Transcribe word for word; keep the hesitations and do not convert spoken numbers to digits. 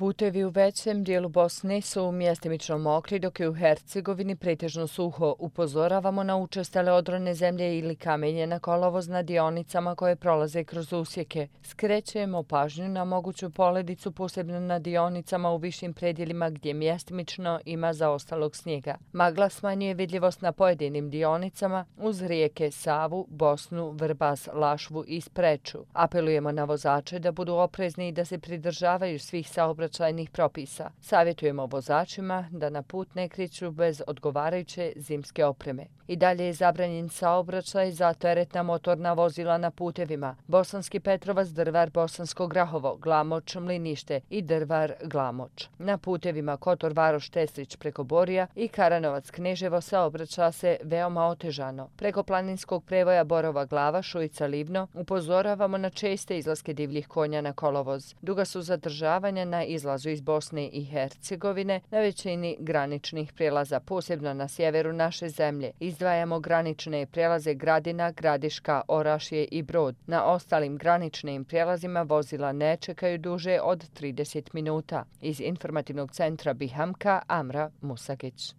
Putevi u većem dijelu Bosne su mjestimično mokri, dok je u Hercegovini pretežno suho. Upozoravamo na učestale odrone zemlje ili kamenje na kolovoz na dionicama koje prolaze kroz usjeke. Skrećemo pažnju na moguću poledicu, posebno na dionicama u višim predjelima gdje mjestimično ima zaostalog snijega. Magla smanjuje vidljivost na pojedinim dionicama uz rijeke Savu, Bosnu, Vrbas, Lašvu i Spreču. Apelujemo na vozače da budu oprezni i da se pridržavaju svih saobraćajnih propisa. Savjetujemo vozačima da na put ne kreću bez odgovarajuće zimske opreme. I dalje je zabranjen saobraćaj za teretna motorna vozila na putevima Bosanski Petrovac, Drvar, Bosansko Grahovo, Glamoč, Mlinište i Drvar, Glamoč. Na putevima Kotor, Varoš, Teslić preko Borija i Karanovac, Kneževo saobraća se veoma otežano. Preko planinskog prevoja Borova Glava, Šujica, Livno upozoravamo na česte izlaske divljih konja na kolovoz. Duga su zadržavanja na izlazu iz Bosne i Hercegovine na većini graničnih prijelaza, posebno na sjeveru naše zemlje. Izdvajamo granične prijelaze Gradina, Gradiška, Orašje i Brod. Na ostalim graničnim prijelazima vozila ne čekaju duže od trideset minuta. Iz informativnog centra Bihamka, Amra Musagić.